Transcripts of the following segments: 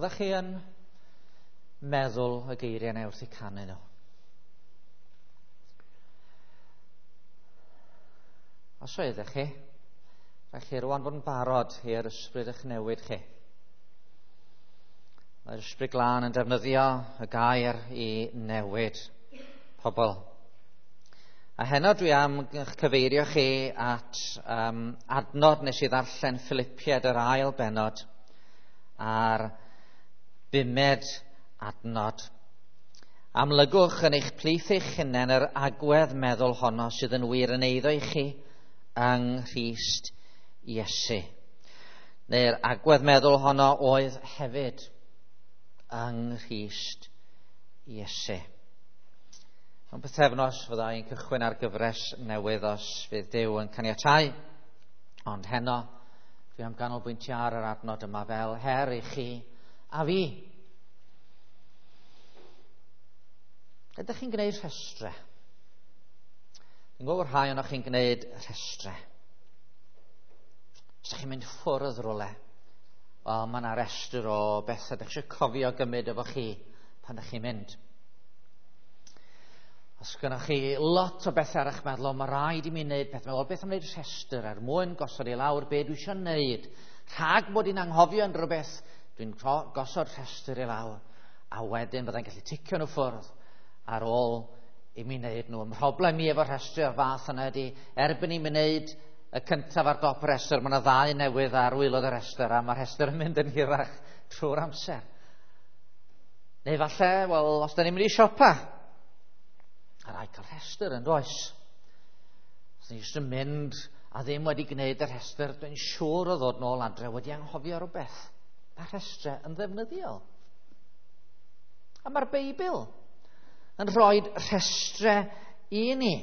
Oeddech chi yn meddwl y geiriau yna wrth eu canu nhw? Os oeddech chi, rhaid chi rwan fod yn barod i'r ysbryd eich newid chi. Mae'r ysbryd glân yn defnyddio y gair i newid pobl. A heno dwi am eich cyfeirio chi at adnod nes i ddarllen Philipiaid yr ail bennod a'r bumed adnod. Amlygwch yn eich plith eich hunain yr agwedd meddwl honno sydd yn wir yn eiddo i chi yng Nghrist Iesu. Neu'r agwedd meddwl honno oedd hefyd yng Nghrist Iesu. Mewn pythefnos fydda i'n cychwyn ar gyfres newydd os fydd Duw yn caniatáu. Ond heno, dwi am ganolbwyntio ar yr adnod yma fel her i chi a fi. Ydych chi'n gwneud rhestrau? Dwi'n gwybod bod rhai ohonoch chi'n gwneud rhestrau. Os ydych chi'n mynd ffwrdd rhywle, wel, mae yna restr o bethau ydych chi eisiau cofio gymryd efo chi pan ydych chi'n mynd. Os gynnwch chi lot o bethau ar eich meddwl, mae rhaid i mi wneud pethau. Wel, beth am wneud rhestr er mwyn gosod i lawr be dwi eisiau wneud? Rhag bod i'n anghofio unrhyw beth, dwi'n gosod rhestr i lawr, a wedyn byddai'n gallu ticio nhw ffwrdd ar ôl i mi wneud nhw. Mhroblem i efo rhestr o'r fath yna ydy, erbyn i mi wneud y cyntaf ar dop y rhestr, mae yna ddau newydd ar waelod y rhestr, a mae'r rhestr yn mynd yn hirach trwy'r amser. Neu falle, wel, os da ni'n mynd i siopa, a rhaid cael rhestr yn does. Os ni jyst yn mynd a ddim wedi gwneud y rhestr, dwi'n siŵr o ddod nôl adre wedi anghofio rhywbeth. Mae rhestrau yn ddefnyddiol. A mae'r Beibl yn rhoi rhestrau i ni.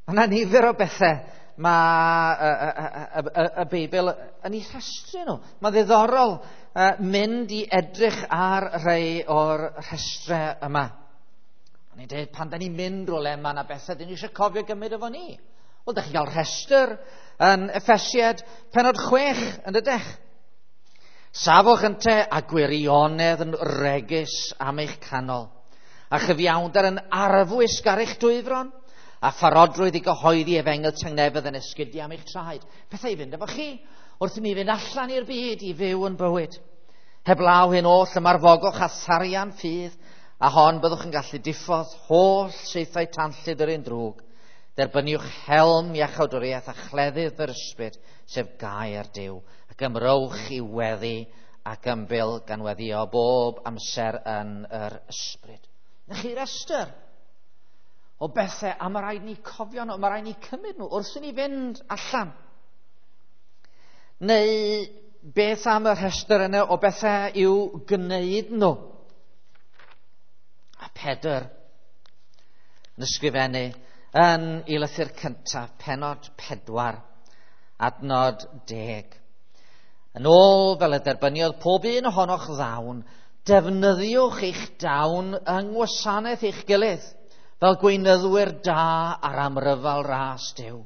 Mae yna nifer o bethau mae y Beibl yn ei rhestru nhw. Mae'n ddiddorol mynd i edrych ar rhai o'r rhestrau yma. O'n i'n dweud, pan da ni'n mynd rhywle, mae yna bethau dyn ni eisiau cofio gymryd efo ni. Wel, da chi'n cael rhestr yn Effesiad penod 6, yn dydych? Safwch ynte a gwirionedd yn regus am eich canol, a chyfiawnder yn arfwisg ar eich dwyfron, a pharodrwydd i gyhoeddi efengyl tangnefedd yn esgidiau am eich traed. Pethau i fynd efo chi, wrth i ni fynd allan i'r byd i fyw yn bywyd. Heblaw hyn oll ymarfogwch a tharian ffydd, a hon byddwch yn gallu diffodd holl saethau tanllyd yr un drwg. Derbyniwch helm iachawdwriaeth a chleddyf yr ysbryd, sef gair Duw, ac ymrowch i weddi ac ymbil gan weddio bob amser yn yr ysbryd. Na chi restr o bethau, a mae rhaid ni cofio nhw, mae rhaid ni cymryd nhw wrth i ni fynd allan. Neu beth am y rhestr yna o bethau i'w gwneud nhw? A Pedr yn ysgrifennu yn ei lythyr cyntaf, penod 4, adnod 10. Yn ôl fel y derbyniodd pob un ohonoch ddawn, defnyddiwch eich dawn yng ngwasanaeth eich gilydd, fel gweinyddwyr da ar amryfal ras Duw.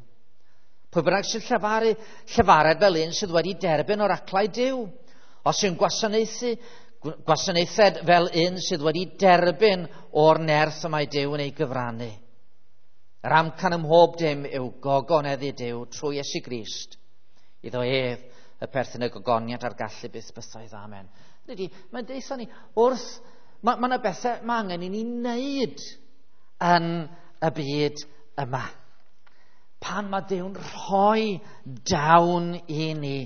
Pwy bynnag sy'n llefaru, llefared fel un sydd wedi derbyn oraclau Duw. Os yw'n gwasanaethu, gwasanaethed fel un sydd wedi derbyn o'r nerth y mae Duw yn ei gyfrannu. Yr amcan ym mhob dim yw gogoneddu Duw trwy Iesu Grist. Iddo ef y perthyn y gogoniant a'r gallu byth bythoedd. Amen. Ydy, mae'n deutha ni, wrth, mae yna bethau mae angen i ni wneud yn y byd yma. Pan mae Duw'n rhoi dawn i ni,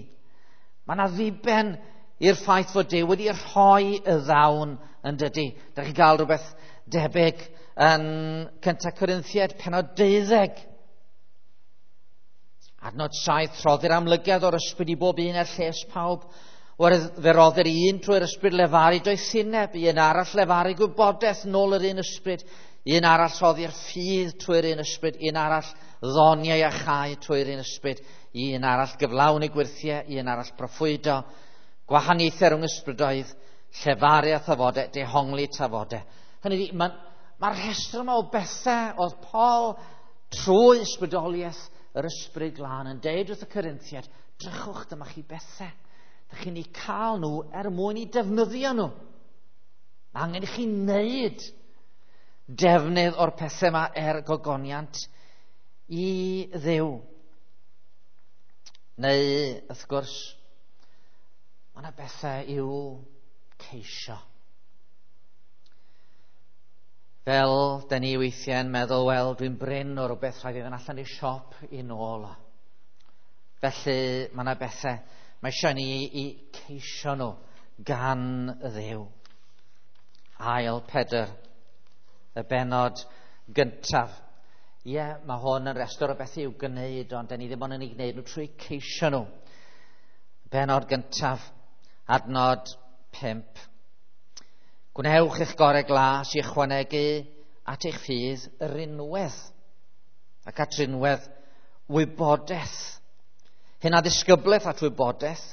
mae yna ddiben i'r ffaith fod Duw wedi rhoi y ddawn yn dydy. Da chi'n cael rhywbeth debyg yn 1 Corinthiaid, penod 12. Adnod 7, rhoddir amlygiad o'r ysbryd i bob un er lles pawb. Fe roddir un trwy'r ysbryd lefaru doethineb, un arall lefaru gwybodaeth nôl yr un ysbryd, un arall rhoddir ffydd trwy'r un ysbryd, un arall ddoniau a chau trwy'r un ysbryd, un arall gyflawni gwyrthiau, un arall proffwydo, gwahaniaethau rhwng ysbrydoedd, llefaru a thafodau, dehongli tafodau. Hynny ydi, mae'r rhestr yma o bethau oedd Paul trwy ysbrydoliaeth yr ysbryd glân yn deud wrth y Corinthiaid, drychwch, dyma chi bethau. Dych chi'n eu cael nhw er mwyn i defnyddio nhw. Mae angen i chi wneud defnydd o'r pethau yma er gogoniant i Dduw. Neu, wrth gwrs, mae yna bethau i'w ceisio. Fel, da ni weithiau'n meddwl, wel, dwi'n brin o rhywbeth, rhaid i fynd allan i'r siop i nôl o. Felly, mae yna bethau, mae eisiau ni i ceisio nhw gan Dduw. Ail Pedr, y bennod gyntaf. Ie, mae hwn yn restr o bethau i'w gwneud, ond da ni ddim ond yn ei gwneud nhw trwy ceisio nhw. Bennod gyntaf, adnod 5. Gwnewch eich gorau glas i ychwanegu at eich ffydd rinwedd ac at rinwedd wybodaeth. Hunanddisgyblaeth at wybodaeth,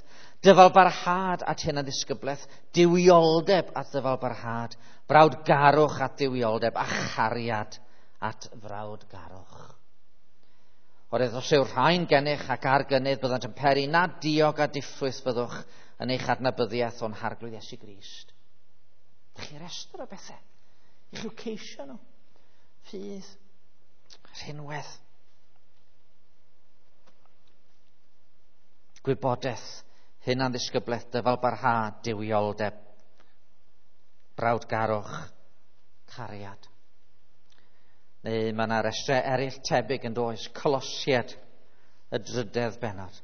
dyfalbarhad at hunanddisgyblaeth, duwioldeb at ddyfalbarhad, brawdgarwch at dduwioldeb a chariad at frawdgarwch. Oherwydd os yw'r rhain gennych ac ar gynnydd, byddant yn peri na diog a diffrwyth fyddwch yn eich adnabyddiaeth o'n Harglwydd Iesu Grist. Dych chi restr o bethau. I chi'w ceisio nhw. Ffydd, rhinwedd, gwybodaeth, hunanddisgyblaeth, dyfalbarhad, duwioldeb, brawdgarwch, cariad. Neu mae yna restrau eraill tebyg yn does, Colosiaid, y drydedd bennod.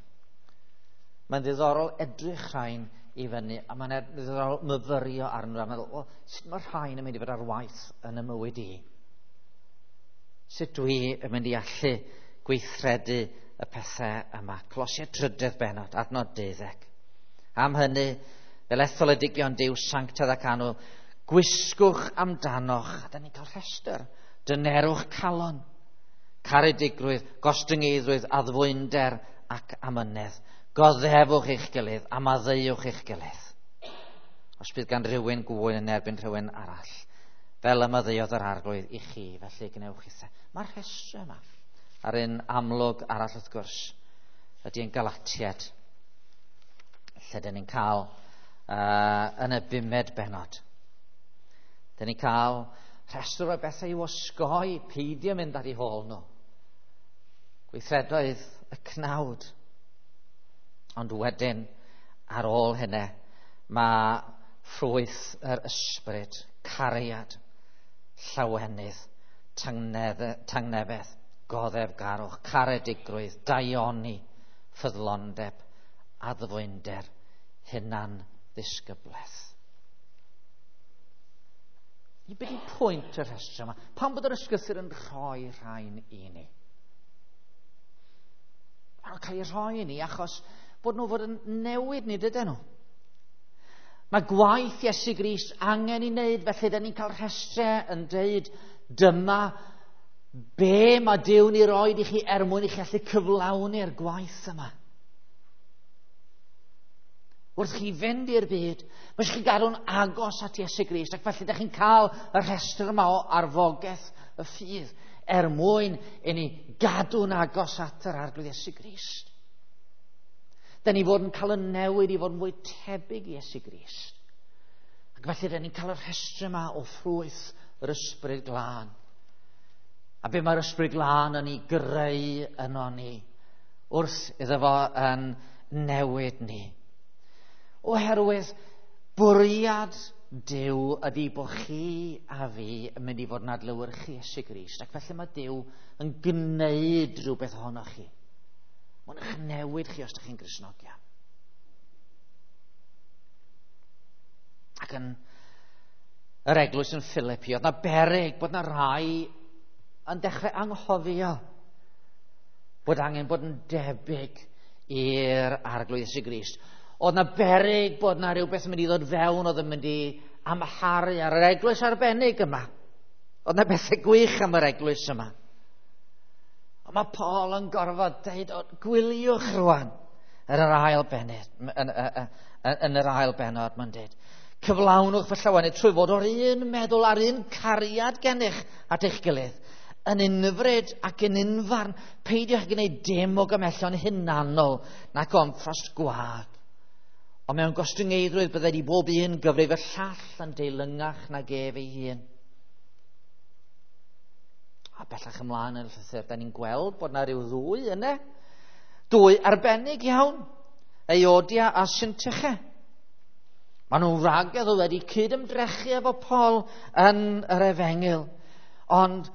Mae'n ddiddorol edrych rhain i fyny, a mae'n ddiddorol myfyrio arnyn nhw, a meddwl, o, sut mae rhain yn mynd i fod ar waith yn y mywyd i? Sut dwi yn mynd i allu gweithredu y pethau yma? Colosiaid trydedd bennod, adnod 12. Am hynny, fel etholedigion Duw sanctaidd ac annwyl, gwisgwch amdanoch, a da ni'n cael rhestr, dynerwch calon, caredigrwydd, gostyngeiddrwydd, addfwynder ac amynedd. Goddefwch eich gilydd a maddeuwch eich gilydd. Os bydd gan rhywun gŵyn yn erbyn rhywun arall, fel y maddeuodd yr Arglwydd i chi, felly gwnewch chithe. Mae'r rhestr yma, a'r un amlwg arall wrth gwrs, ydy yn Galatiaid, lle dyn ni'n cael yn y bumed bennod. Dyn ni'n cael rhestr o bethau i'w osgoi, peidio mynd ar eu hôl nhw. Gweithredoedd y cnawd. Ond wedyn, ar ôl hynny, mae ffrwyth yr ysbryd, cariad, llawenydd, tangnefedd, goddefgarwch, caredigrwydd, daioni, ffyddlondeb, addfwynder, hunanddisgyblaeth. I beth yw pwynt y rhestr yma? Pam bod yr ysgrythur yn rhoi rhain i ni? Maen nhw'n cael eu rhoi i ni achos bod nhw fod yn newid ni, dydyn nhw? Mae gwaith Iesu Grist angen i wneud, felly dyn ni'n cael rhestrau yn deud dyma be mae Duw'n ei roed i chi er mwyn i chi allu cyflawni'r gwaith yma. Wrth chi fynd i'r byd, mae eisiau chi gadw'n agos at Iesu Grist, ac felly ydych chi'n cael y rhestr yma o arfogaeth y ffydd er mwyn i ni gadw'n agos at yr Arglwydd Iesu Grist. Dyn ni fod yn cael y newid i fod yn fwy tebyg i Iesu Grist. Ac felly dyn ni'n cael y rhestr yma o ffrwyth yr Ysbryd Glân. A be mae'r Ysbryd Glân yn ei greu yno ni wrth iddo fo yn newid ni. Oherwydd bwriad Duw ydy bod chi a fi yn mynd i fod yn adlewyrchu Iesu Grist, ac felly mae Duw yn gwneud rhywbeth ohonoch chi. Mae'n eich newid chi os ydych chi'n Gristnogion. Ac yn yr eglwys yn Philippi, oedd na beryg bod na rai yn dechrau anghofio bod angen bod yn debyg i'r Arglwydd Iesu Grist. Oedd na beryg bod na rhywbeth yn mynd i ddod fewn oedd yn mynd i amharu ar yr eglwys arbennig yma. Oedd na bethau gwych am yr eglwys yma. Ond mae Paul yn gorfod deud, gwyliwch rwan yn yr ail bennod, yn yr ail bennod mae'n deud. Cyflawnwch fy llawenydd trwy fod o'r un meddwl a'r un cariad gennych at eich gilydd, yn unfryd ac yn unfarn, peidiwch gwneud dim o gymellion hunanol nac o ymffrost gwag. Ond mewn gostyngeiddrwydd byddai i bob un gyfrif y llall yn deilyngach nag ef ei hun. A bellach ymlaen yn y llythyr, da ni'n gweld bod na ryw ddwy yna. Dwy arbennig iawn, Euodia a Syntyche. Maen nhw'n wragedd oedd wedi cyd-ymdrechu efo Paul yn yr efengyl. Ond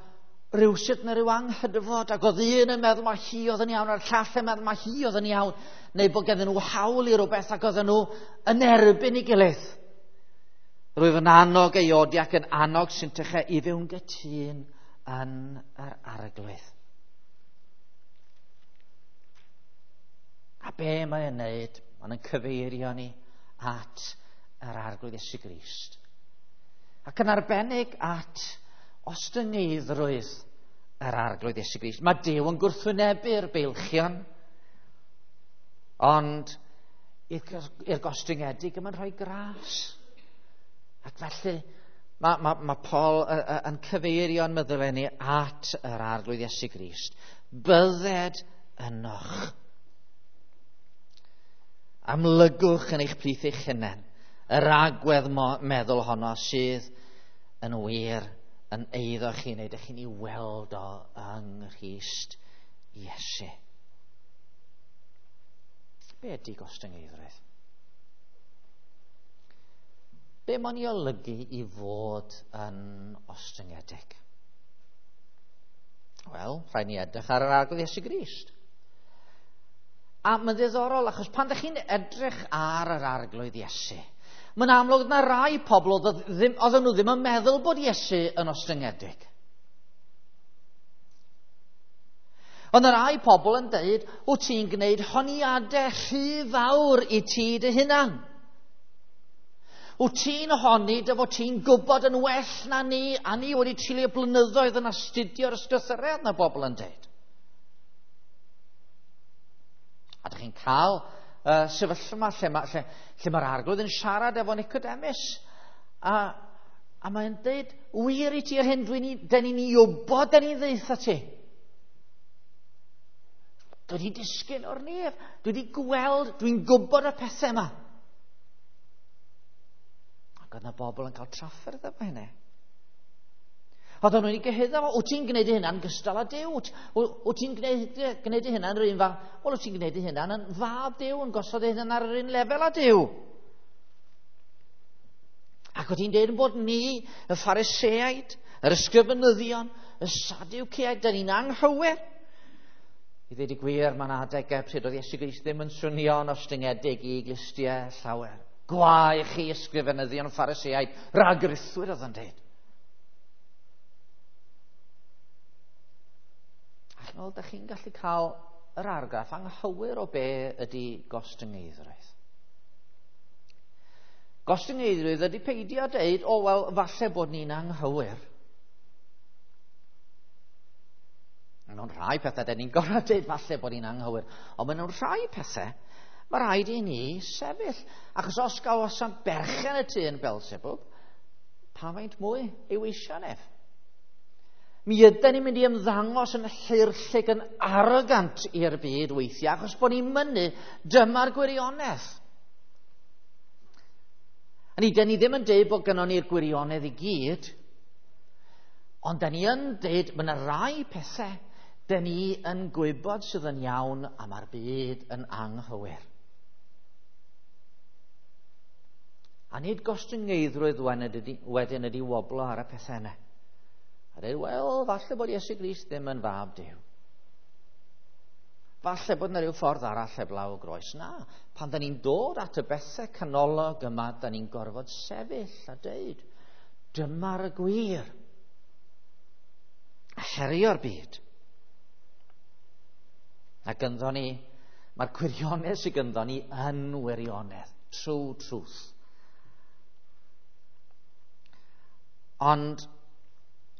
rhywsut na rhyw anghydfod, ac oedd un yn meddwl mae hi oedd yn iawn, a'r llall yn meddwl mae hi oedd yn iawn, neu bod ganddyn nhw hawl i rywbeth ac oedden nhw yn erbyn ei gilydd. Rwyf yn annog Euodia ac yn annog Syntyche i fyw'n gytûn yn yr Arglwydd. A be mae'n wneud? Mae'n cyfeirio ni at yr Arglwydd Iesu Grist. Ac yn arbennig at ostyngeiddrwydd yr Arglwydd Iesu Grist. Mae Duw yn gwrthwynebu'r beilchion, ond i'r gostyngedig yma'n rhoi gras. Ac felly mae Paul yn cyfeirio'n meddyliau ni at yr Arglwydd Iesu Grist. Bydded ynoch. Amlygwch yn eich plith eich hunain yr agwedd meddwl honno sydd yn wir yn eiddo chi, neu ydych chi'n ei weld o yng Nghrist Iesu. Be ydy gostyngeiddrwydd? Be mae'n ei olygu i fod yn ostyngedig? Wel, rhaid ni edrych ar yr Arglwydd Iesu Grist. A mae'n ddiddorol, achos pan ydych chi'n edrych ar yr Arglwydd Iesu, mae'n amlwg na rai pobl oedden nhw ddim yn meddwl bod Iesu yn ostyngedig. Ond y rai pobl yn dweud, wyt ti'n gwneud honiadau rhy fawr i ti dy hunan. Wyt ti'n honni dy fod ti'n gwybod yn well na ni, a ni wedi treulio blynyddoedd yn astudio'r ysgrythurau, na bobl yn dweud. A dych chi'n cael sefyllfa yma lle mae'r Arglwydd yn siarad efo Nicodemus. A mae'n dweud, wir i ti yr hyn dyn ni'n ei wybod, dyn ni'n ddeutha ti. Dwi wedi disgyn o'r nef, dwi wedi gweld, dwi'n gwybod y pethau yma. Ac oedd yna bobl yn cael trafferth efo hynny. Oedden nhw'n ei gyhuddo fo, wyt ti'n gwneud ei hunan gystal â Duw? Wyt ti'n gwneud ei hunan yr un fath? Wel, wyt ti'n gwneud ei hunan yn fab Duw, yn gosod ei hunan ar yr un lefel â Duw? Ac wyt ti'n dweud bod ni, y Phariseaid, yr ysgrifenyddion, y Sadwceaid, dyn ni'n anghywir. I ddweud y gwir, mae'n adegau pryd oedd Iesu Grist ddim yn swnio'n ostyngedig i glustiau llawer. Gwae chi ysgrifenyddion, Phariseaid, rhagrithwyr oedd yn dweud. Wel, da chi'n gallu cael yr argraff anghywir o be ydy gostyngeiddrwydd. Gostyngeiddrwydd ydy peidio deud, o, wel, falle bod ni'n anghywir. Mewn rhai pethau, da ni'n gorfod deud falle bod ni'n anghywir. Ond mewn rhai pethau, mae rhaid i ni sefyll. Achos os gawasant berchen y tŷ yn Beelzebub, pa faint mwy ei weision ef? Mi ydyn ni'n mynd i ymddangos yn llyrllig, yn arrogant i'r byd weithiau, achos bod ni'n mynnu dyma'r gwirionedd. A ni, dyn ni ddim yn deud bod gynnon ni'r gwirionedd i gyd, ond dyn ni yn deud mae yna rai pethau dyn ni yn gwybod sydd yn iawn a mae'r byd yn anghywir. A nid gostyngeiddrwydd wedyn ydy woblo ar y pethau yna. A dweud, wel, falle bod Iesu Grist ddim yn fab Duw. Falle bod yna rhyw ffordd arall heblaw y groes. Na, pan da ni'n dod at y bethau canolog yma, da ni'n gorfod sefyll a dweud, dyma'r gwir. A herio'r byd. A gynddo ni, mae'r gwirionedd sydd gynddo ni yn wirionedd. True truth. Ond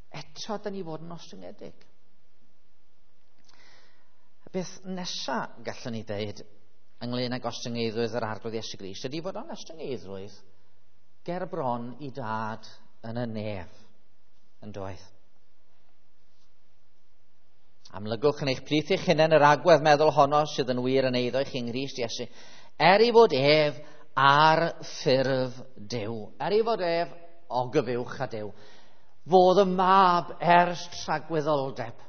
eto, da ni fod yn ostyngedig. Y beth nesaf gallwn ni ddeud ynglyn â gostyngeiddrwydd yr Arglwydd Iesu Grist ydy fod o'n ostyngeiddrwydd ger bron i dad yn y nef yn doedd. Amlygwch yn eich plith eich hunain yr agwedd meddwl honno sydd yn wir yn eiddo i chi yng Nghrist Iesu, er ei fod ef ar ffurf Duw. Er ei fod ef o gyfuwch a Duw, fodd y mab ers tragwyddoldeb.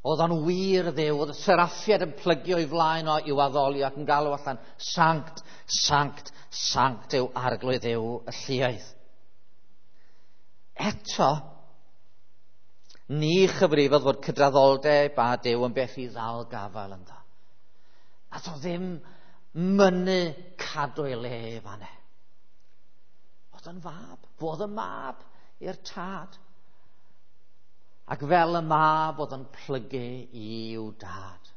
Oedd o'n wir Dduw, oedd y seraffiad yn plygio i flaen o i'w addoli ac yn galw allan, Sanct, Sanct, Sanct yw Arglwydd Dduw y lluoedd. Eto, ni chyfrifodd fod cydraddoldeb a Duw yn beth i ddal gafael ynddo. Nath o ddim mynnu cadw ei le fan e. Oedd o'n fab, fodd y mab i'r tad. Ac fel y mab oedd yn plygu i'w dad.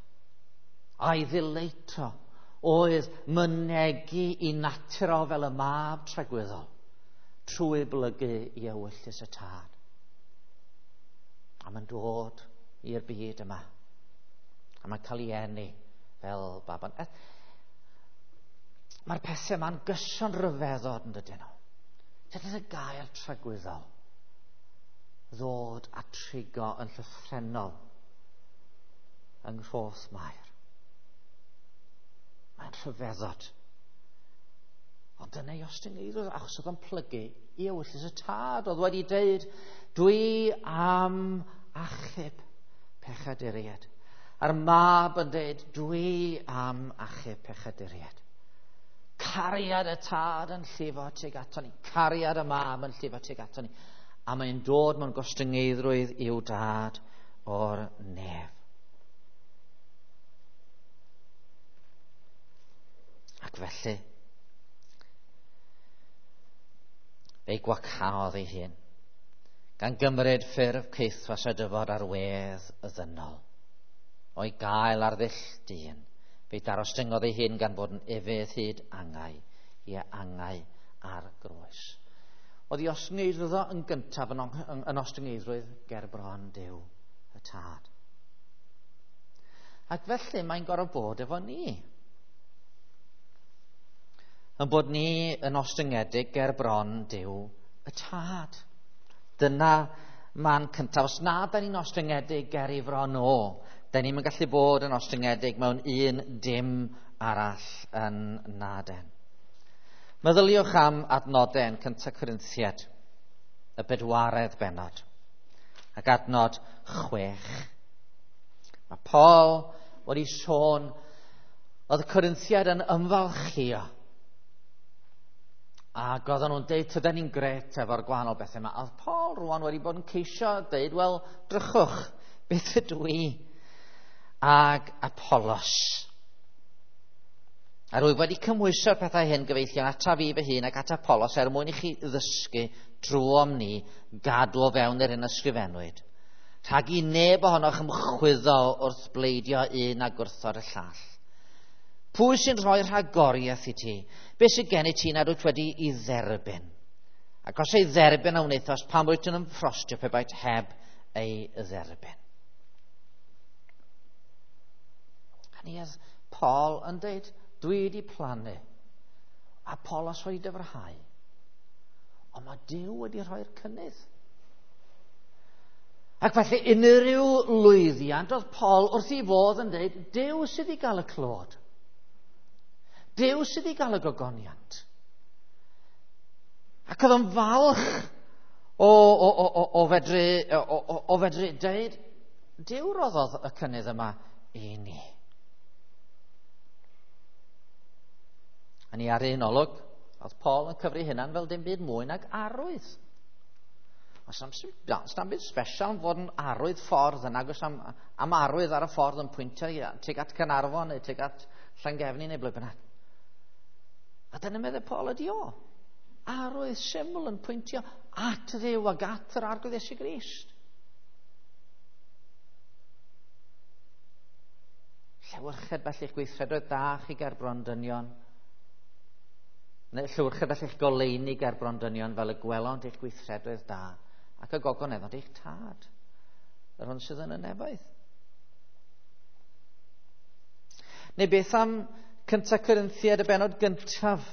A'i ddileito oedd mynegi i natur o fel y mab tragwyddol trwy blygu i ewyllys y tad. A mae'n dod i'r byd yma. A mae'n cael ei eni fel baban. Mae'r pethau yma'n gyson ryfeddod yn dydyn nhw. Dyna'r gair tragwyddol ddod a trigo yn llythrennol yng Nghroth Mair. Mae'n rhyfeddod. Ond dyna ei ostyngeidrwydd, achos oedd o'n plygu i ewyllys y tad. Oedd wedi deud, dwi am achub pechaduriaid. A'r mab yn deud, dwi am achub pechaduriaid. Cariad y tad yn llifo tuag ato ni. Cariad y mab yn llifo tuag ato ni. A mae'n dod mewn gostyngeiddrwydd i'w dad o'r nef. Ac felly, fe'i gwacaodd ei hun, gan gymryd ffurf caethwas a dyfod ar wedd y ddynol. O'i gael ar ddull dyn, fe'i darostyngodd ei hun gan fod yn ufudd hyd angau, i angau ar groes. Oedd ei ostyngeidrwydd o yn gyntaf yn ostyngeidrwydd ger bron Duw y tad. Ac felly mae'n gorfod bod efo ni. Yn bod ni yn ostyngedig ger bron Duw y tad. Dyna man cyntaf. Os na da ni'n ostyngedig ger ei fron o, da ni'n gallu bod yn ostyngedig mewn un dim arall yn naden. Meddyliwch am adnodau yn 1 Corinthiaid, y 4 bennod, ac adnod 6. Mae Paul wedi sôn oedd y Corinthiaid yn ymfalchio. Ac oedden nhw'n deud, tydan ni'n gret efo'r gwahanol bethau yma. A oedd Paul rwan wedi bod yn ceisio deud, wel, drychwch, beth ydw i ag Apollos. A rwyf wedi cymhwyso'r pethau hyn gyfeillion ata fi fy hun ac at Apollos er mwyn i chi ddysgu drwom ni gadw o fewn yr hyn ysgrifennwyd. Rhag i neb ohonoch ymchwyddo wrth bleidio un a gwrthod y llall. Pwy sy'n rhoi rhagoriaeth i ti? Be sydd gen i ti nad wyt wedi i dderbyn? Ac os ei dderbyn a wnaethos, pam wyt yn ymffrostio pe baet heb ei dderbyn? A ni oedd Paul yn deud, dwi wedi plannu, Apollos wedi dyfrhau, ond mae Duw wedi rhoi'r cynnydd. Ac felly unrhyw lwyddiant oedd Paul wrth ei fodd yn dweud, Duw sydd i gael y clod. Duw sydd i gael y gogoniant. Ac oedd o'n falch o fedru dweud, Duw roddodd y cynnydd yma i ni. A ni ar un olwg, oedd Paul yn cyfri hynna'n fel dim byd mwy nag arwydd. Os am byd special am fod yn arwydd ffordd yn agos am arwydd ar y ffordd yn pwyntio tuag at Caernarfon neu tuag at Llangefni neu ble bynnag. A dyna meddwl Paul ydi o. Arwydd syml yn pwyntio at Dduw ac at yr Arglwydd Iesu Grist. Llewyrched felly'ch gweithredoedd da chi ger bron dynion. Neu llewyrched felly'ch goleuni ger bron dynion fel y gwelont eich gweithredoedd da ac y gogoneddont eich tad, yr hwn sydd yn y nefoedd. Neu beth am 1 Corinthiaid y bennod gyntaf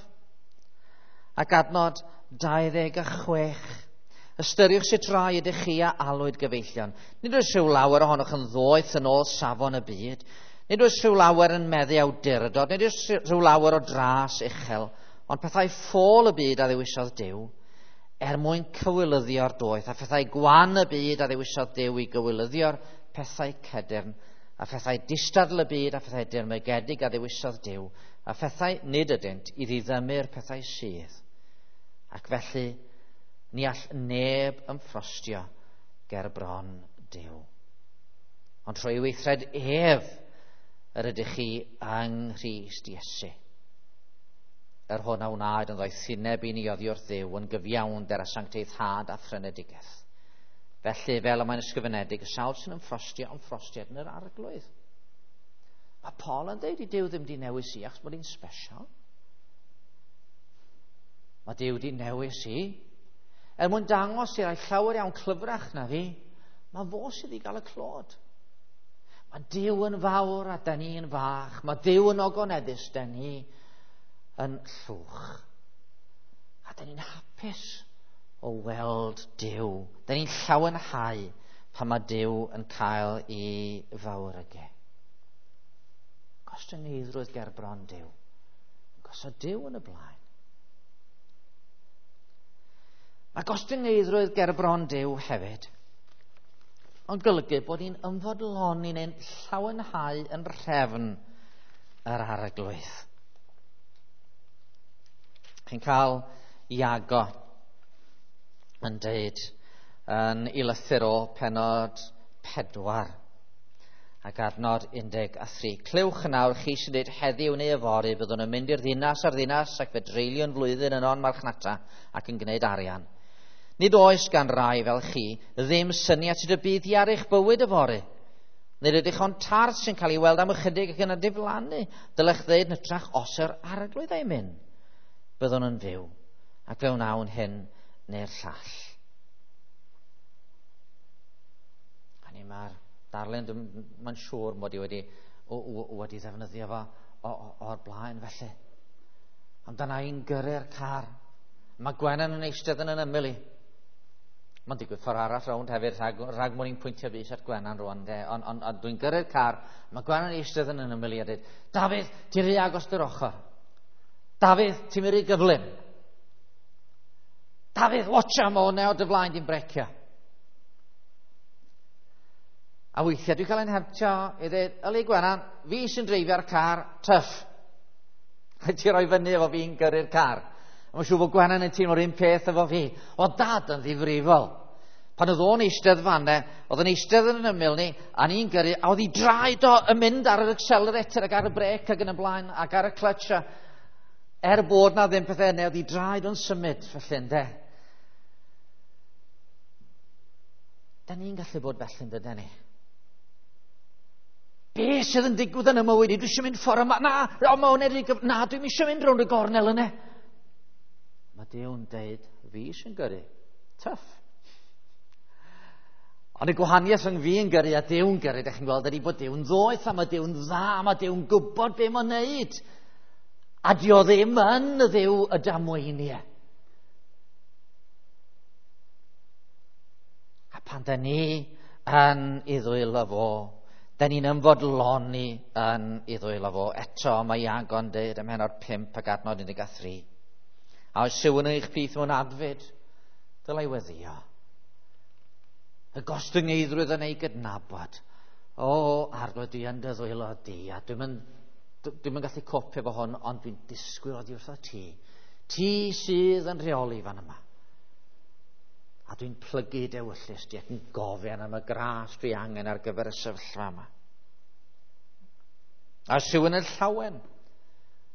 ac adnod 26. Ystyriwch sut rai ydych chi a alwyd gyfeillion. Nid oes rhyw lawer ohonoch yn ddoeth yn ôl safon y byd. Nid oes rhyw lawer yn meddu awdurdod, nid oes rhyw lawer o dras uchel, ond pethau ffôl y byd a ddewisodd Duw, er mwyn cywilyddio'r doeth, a phethau gwan y byd a ddewisodd Duw i gywilyddio'r pethau cedyrn, a phethau distadl y byd a phethau dirmygedig a ddewisodd Duw, a phethau nid ydynt i ddiddymu'r pethau sydd. Ac felly, ni all neb ymffrostio ger bron Duw. Ond trwy weithred ef yr ydych chi yng Nghrist Iesu, yr hwn a wnaed yn ddoethineb i ni oddi wrth Dduw yn gyfiawnder a sancteiddhad a phrynedigaeth. Felly, fel y mae'n ysgrifenedig, y sawl sy'n ymffrostio, ymffrostiad yn yr Arglwydd. Mae Paul yn dweud i Duw ddim di newis i achos bod hi'n special. Mae Duw di newis i. Er mwyn dangos i rai llawer iawn clyfrach na fi, mae fo sydd i gael y clod. Mae Duw yn fawr a da ni'n fach. Mae Duw yn ogoneddus, da ni yn llwch. A da ni'n hapus o weld Duw. Da ni'n llawenhau pan mae Duw yn cael ei fawrygu. Gostyngeiddrwydd ger bron Duw. Gosod Duw yn y blaen. Mae gostyngeiddrwydd ger bron Duw hefyd ond golygu bod ni'n ymfodloni neu'n llawenhau yn rhefn yr Arglwydd. Chi'n cael Iago yn deud yn ei lythyr o pennod 4 ac adnod 13. Clywch yn awr chi sy'n dweud heddiw neu yfory, byddwn yn mynd i'r ddinas a'r ddinas ac fe dreuliwn flwyddyn yno'n marchnata ac yn gwneud arian. Nid oes gan rai fel chi ddim syniad sut y bydd hi ar eich bywyd yfory. Nid ydych ond tarth sy'n cael ei weld am ychydig ac yna diflannu. Dylech ddeud yn hytrach os yr Arglwydd ei mynd, byddwn yn fyw, ac fe wnawn hyn neu'r llall. Hynny mae'r darlun, mae'n siŵr mod i wedi ddefnyddio fo o'r blaen felly. Amdana i'n gyrru'r car. Mae Gwenan yn eistedd yn ymyl i. Mae'n digwydd ffordd arall rownd hefyd, rhag mod i'n pwyntio bys at Gwenan rwan. Ond dwi'n gyrru'r car, mae Gwenan yn eistedd yn ymyl i a dweud, Dafydd, ti'n rhy agos dy'r ochr. Dafydd, ti'n mynd rhy gyflym. Dafydd, watcha, mae hwnna o dy flaen di'n brecio. A weithiau dwi'n cael ein hemtio i ddweud, yli Gwenan, fi sy'n dreifio'r car, tyff. Rhaid ti roi fyny efo fi'n gyrru'r car. A mae'n siŵr bod Gwenan yn teimlo'r un peth efo fi. O dad yn ddifrifol. Pan oedd o'n eistedd fanne, oedd o'n eistedd yn ymyl ni, a ni'n gyrru, a oedd ei draed o yn mynd ar yr accelerator ac ar y brêc ac yn y blaen, ac ar y clutch. A er bod na ddim pethau yna, oedd ei draed o'n symud, felly ynde. Da ni'n gallu bod felly, yn ni? Be sydd yn digwydd yn y mywyd i? Dwi eisiau mynd ffordd yma. Na, o, mae hwnna wedi... Na, dwi'm eisiau mynd rownd y gornel yna. Mae Duw'n deud, fi sy'n gyrru. Tough. Ond y gwahaniaeth rhwng fi yn gyrru a Duw'n gyrru, dych chi'n gweld, ydy bod Duw'n ddoeth, a mae Duw'n dda, a mae Duw'n gwybod be mae'n neud. A dio ddim yn y Dduw y damweiniau. A pan da ni yn ei ddwylo fo, da ni'n ymfodloni yn ei ddwylo fo. Eto mae Iago'n deud ym mhennod 5 ac adnod 13. A oes rhywun yn eich plith mewn adfyd, dylai weddio. Y gostyngeiddrwydd yn ei gydnabod. O, Arglwydd, dwi yn dy ddwylo di, a dwi'm yn gallu copio efo hwn, ond dwi'n disgwyl oddi wrtho ti. Ti sydd yn rheoli fan yma. A dwi'n plygu dewyllys di ac yn gofyn am y gras dwi angen ar gyfer y sefyllfa yma. A os rhywun yn llawen,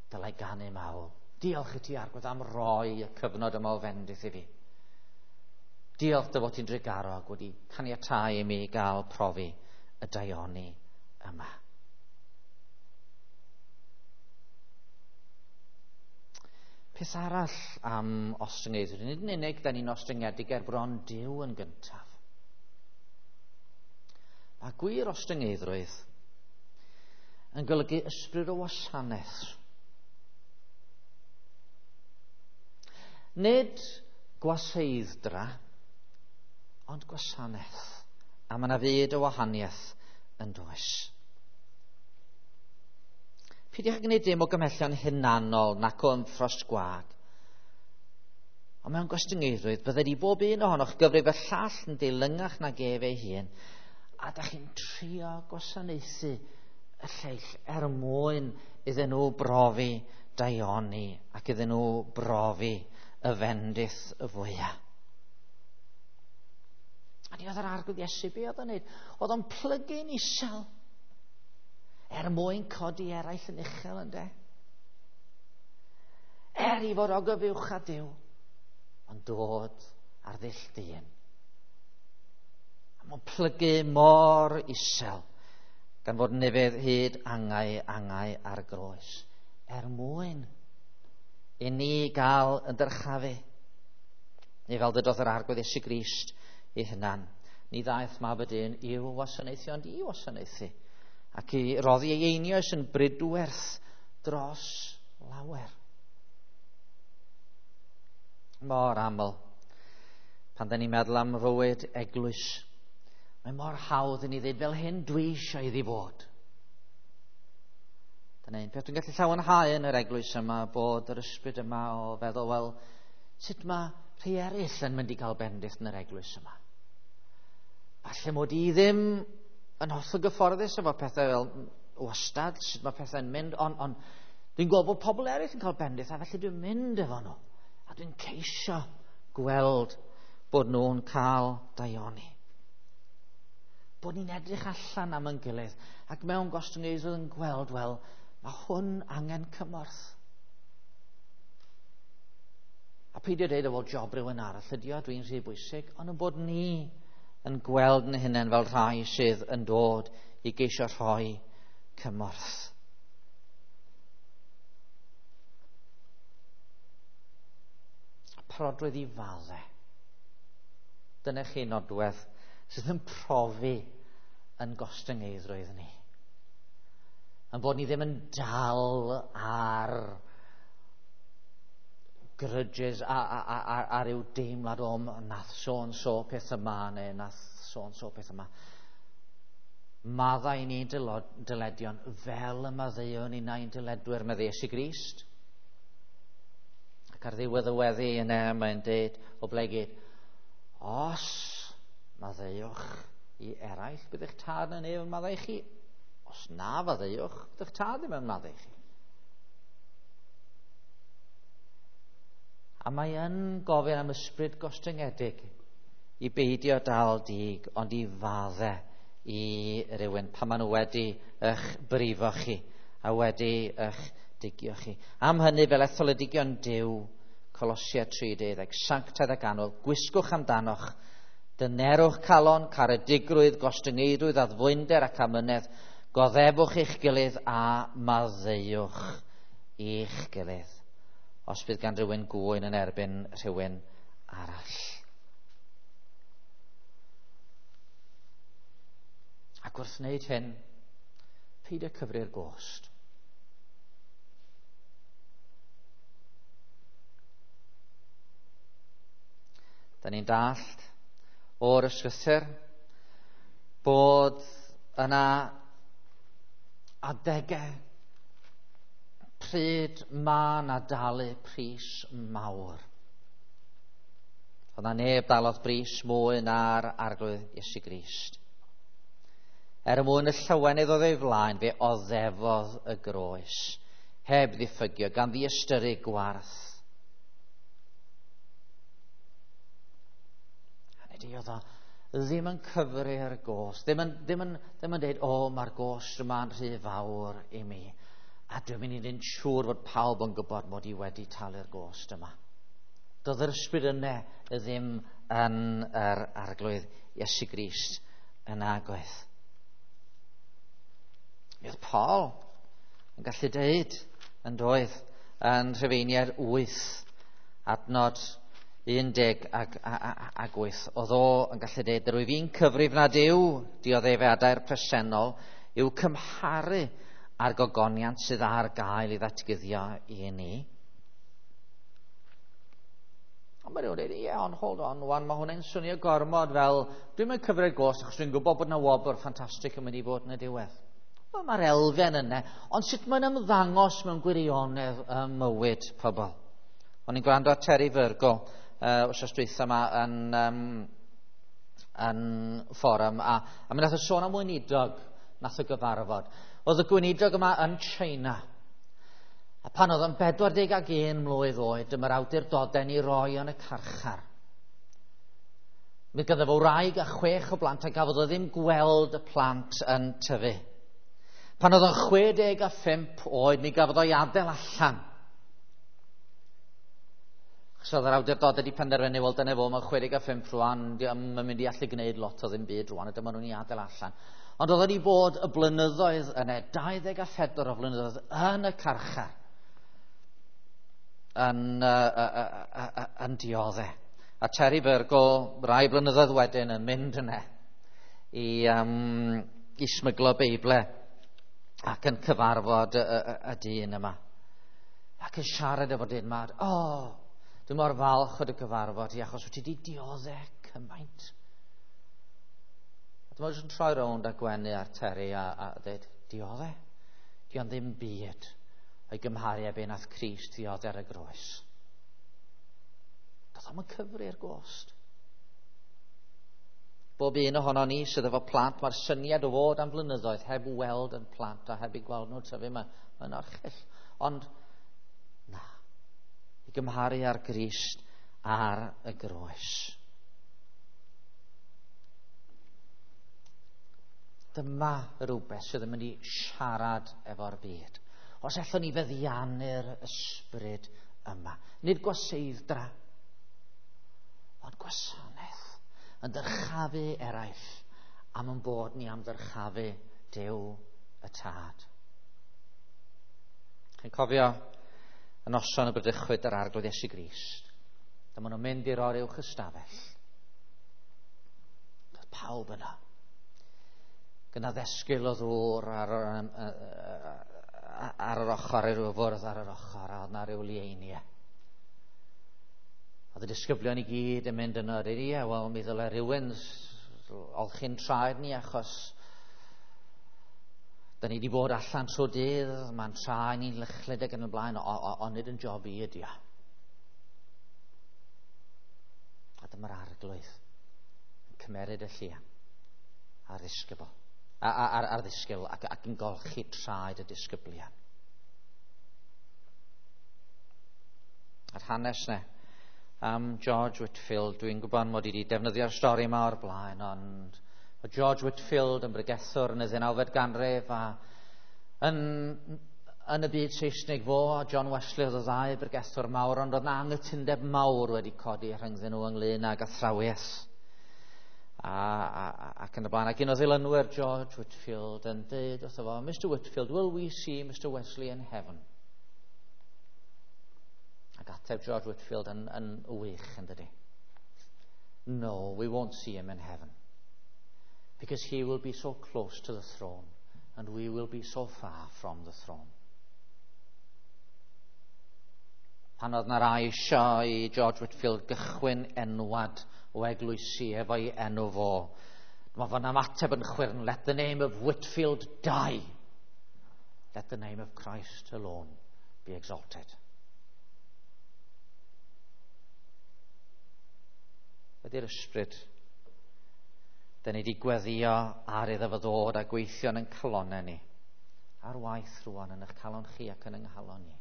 dylai ganu mawl. Diolch i ti, Arglwydd, am roi y cyfnod yma o fendith i fi. Diolch dy fod ti'n drugarog wedi caniatáu i mi gael profi y daioni yma. Peth arall am ostyngeiddrwydd, nid yn unig da ni'n ostyngedig ger bron Duw yn gyntaf. Mae gwir ostyngeiddrwydd yn golygu ysbryd o wasanaeth. Nid gwaseidd-dra, ond gwasanaeth. A mae yna fyd o wahaniaeth yn does. Peidiwch â gwneud dim o gymhellion hunanol nac o ymffrost gwag. Ond mewn gostyngeiddrwydd, bydded i bob un ohonoch gyfrif y llall yn deilyngach nag ef ei hun, a da chi'n trio gwasanaethu y lleill er mwyn iddyn nhw brofi daioni ac iddyn nhw brofi y fendith y fwyaf. A ni oedd yr Arglwydd Iesu, be oedd o'n neud? Oedd o'n plygu'n isel er mwyn codi eraill yn uchel, ynde? Er i fod o gyfuwch â Duw, ond dod ar ddull dyn. A mae'n plygu mor isel, gan fod nefedd hyd angau angau ar groes, er mwyn i ni gael yn dyrchafu. Neu fel dydodd yr Arglwydd Iesu Grist ei hunan, ni ddaeth mab y dyn i'w wasanaethu, ond i wasanaethu, ac i roddi ei einioes yn bridwerth dros lawer. Mor aml, pan da ni'n meddwl am fywyd eglwys, mae mor hawdd i ni ddweud fel hyn dwi eisiau iddi fod. Dyna un peth dwi'n gallu llawenhau yn yr eglwys yma, bod yr ysbryd yma o feddwl, wel, sut mae rhai eraill yn mynd i gael bendith yn yr eglwys yma? Falle mod i ddim yn hollol gyfforddus efo pethau fel wastad, sut mae pethau'n mynd, ond on, dwi'n gweld bod pobl eraill yn cael bendith, a felly dwi'n mynd efo nhw. A dwi'n ceisio gweld bod nhw'n cael daioni. Bod ni'n edrych allan am yn gilydd, ac mewn gostyngeiddrwydd yn gweld, wel, mae hwn angen cymorth. A peidio dweud, o, wel, job rhywun arall ydi o, dwi'n rhy bwysig, ond yn bod ni yn gweld yn hunain fel rhai sydd yn dod i geisio rhoi cymorth. Parodrwydd i fadde. Dyna chi nodwedd sydd yn profi yn gostyngeiddrwydd ni. Yn bod ni ddim yn dal ar grudges a ryw deimlad o nath so-and-so peth yma neu nath so-and-so peth yma. Maddau ni dyledion fel y maddeuon ni na'n dyledwyr, meddai Iesu Grist. Ac ar ddiwedd y weddi yna mae'n dweud o blegid, os maddeuwch i eraill, bydd eich tad yn nef yn maddau chi. Os na faddeuwch, bydd eich tad ddim yn maddau chi. A mae yn gofyn am ysbryd gostyngedig i beidio dal dig, ond i fadde i rywun pan maen nhw wedi eich brifo chi a wedi eich digio chi. Am hynny, fel etholedigion Duw, Colosia 3:12, sanctaidd ac annwyl, gwisgwch amdanoch, dynerwch calon, caredigrwydd, gostyngeiddrwydd, addfwynder ac amynedd, goddefwch eich gilydd a maddeuwch eich gilydd, os bydd gan rywun gŵyn yn erbyn rhywun arall. Ac wrth wneud hyn, peidio cyfri'r gost. Da ni'n dallt o'r ysgrythur bod yna adegau pryd ma na dalu pris mawr. Oedd na neb dalodd bris mwy na'r Arglwydd Iesu Grist. Er mwyn y llawenydd oedd ei flaen, fe oddefodd y groes, heb ddiffygio, gan ddiystyru gwarth. Hynny oedd o ddim yn cyfri'r gost, ddim yn dweud, o, mae'r gost yma'n rhy fawr i mi, a dwi'n mynd i wneud siŵr fod pawb yn gwybod mod i wedi talu'r gost yma. Doedd yr ysbryd yna ddim yn yr Arglwydd Iesu Grist yn agoedd. Mi oedd Paul yn gallu deud yn doedd yn Rhufeiniaid 8 adnod 18. Oedd o yn gallu deud, rwyf fi'n cyfrif nad yw dioddefadau'r presennol yw cymharu â'r gogoniant sydd ar gael i ddatguddio i ni. Ond mae rhywun dweud, ie, ond hold on, wan, mae hwnna'n swnio gormod fel, dwi'n mynd cyfri'r gost achos dwi'n gwybod bod yna wobr ffantastig yn mynd i fod yn y diwedd. Wel, mae'r elfen yna, ond sut mae'n ymddangos mewn gwirionedd ym mywyd pobl. O'n i'n gwrando ar Terry Virgo wythnos dwytha yma yn fforwm, a mi nath o sôn am weinidog nath o gyfarfod. Oedd y gweinidog yma yn China. A pan oedd yn 41 mlwydd oed, dyma'r awdurdodau ni roi yn y carchar. Mi ganddo fo wraig a 6 o blant, a gafodd o ddim gweld y plant yn tyfu. Pan oedd o'n 65 oed, mi gafodd o'i adael allan. Achos oedd yr awdurdodau wedi penderfynu, wel dyna fo, mae'n 65 rwan, mae'n mynd i allu gwneud lot o ddim byd rwan, a dyma nhw'n ei adael allan. Ond oedd wedi bod y blynyddoedd yna, 24 o flynyddoedd yn y carchar, yn dioddef. A Terry Virgo, rai blynyddoedd wedyn, yn mynd yna i smyglo Beible ac yn cyfarfod y dyn yma. Ac yn siarad efo'r dyn yma, dwi mor falch o dy gyfarfod i, achos wyt ti wedi dioddef cymaint. A dyma jyst yn troi rownd a gwenu ar Terry a dweud, dioddef? Dio'n ddim byd o'i gymharu â be nath Crist ddioddef ar y groes. Doedd o'm yn cyfri'r gost. Bob un ohono ni sydd efo plant, mae'r syniad o fod am flynyddoedd heb weld yn plant a heb eu gweld nhw'n tyfu, mae'n orchyll. Ond na, i gymharu ar Grist ar y groes. Dyma rhywbeth sydd yn mynd i siarad efo'r byd. Os allwn ni feddiannu'r ysbryd yma. Nid gwaseidd-dra, ond gwasanaeth yn dyrchafu eraill am yn bod ni am ddyrchafu Duw y Tad. Chi'n cofio y noson y bradychwyd yr Arglwydd Iesu Grist? Dyma nhw'n mynd i'r oruwch ystafell. Doedd pawb yno. Gyda ddesgyl o ddŵr ar yr ochr, ar ryw fwrdd ar yr ochr, a oedd na ryw lieiniau. Oedd y disgyblion i gyd yn mynd yno, dweud, ie, wel, mi ddyle rhywun olchi'n traed ni, achos da ni wedi bod allan trwy dydd, mae'n traed ni'n lychlyd ac yn y blaen, ond nid yn job i ydi o. A dyma'r Arglwydd yn cymeryd y llian a'r ddisgybl, a'r ddisgybl ac yn golchi traed y disgyblion. A'r hanes ne am George Whitefield, dwi'n gwybod mod i wedi defnyddio'r stori yma o'r blaen, ond o George Whitefield yn bregethwr yn y 19fed ganrif, a yn y byd Saesneg fo a John Wesley oedd y ddau bregethwr mawr, ond oedd na anghytundeb mawr wedi codi rhyngddyn nhw ynglyn ag athrawiaeth ac yn y blaen. Ac un o ddilynwyr George Whitefield yn dweud wrtho fo, Mr Whitefield, will we see Mr Wesley in heaven? Ac ateb George Whitefield yn wych, yn dydi? No, we won't see him in heaven. Because he will be so close to the throne and we will be so far from the throne. Pan oedd na rai eisiau i George Whitefield gychwyn enwad o eglwysi efo'i enw fo, mae fo'n ymateb yn chwyrn, let the name of Whitefield die. Let the name of Christ alone be exalted. Ydy'r ysbryd da ni wedi gweddio ar iddo fo ddod a gweithio yn ein calonnau ni. Ar waith rwan yn eich calon chi ac yn yng nghalon ni.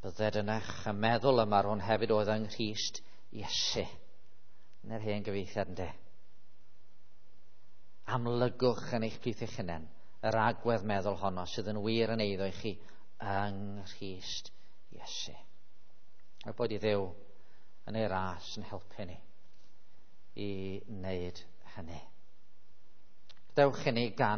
Bydded yn eich meddwl yma rhwng hefyd oedd yng Nghrist Iesu. Yn yr hen gyfieithiad ynde. Amlygwch yn eich plith eich hunain yr agwedd meddwl honno sydd yn wir yn eiddo i chi yng Nghrist Iesu. A bod i Dduw yn ei ras yn helpu ni i wneud hynny. Dewch i ni gan